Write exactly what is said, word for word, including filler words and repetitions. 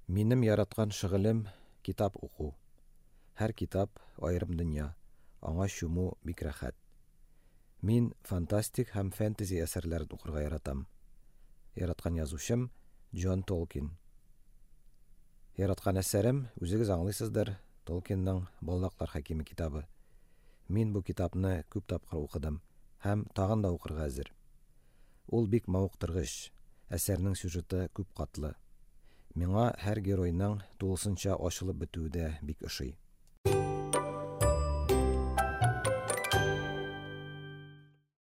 Минем яраткан шөгылем – китап уку. Һәр китап – аерым дөнья, аңа чуму бик рәхәт. Мин фантастик һәм фэнтези әсәрләрен укырга яратам. Яраткан язучым – Джон Толкин. Яраткан әсәрем, үзегез аңлыйсыздыр, Толкинның "Балдаклар хакиме" китабы. Мин бу китапны күп тапкыр укыдым һәм тагын да укырга әзер. Ул бик мавыктыргыч, әсәрнең сюжеты күп катлы. Миңа һәр геройның тулысынча ачылып бетүе дә бик ошый.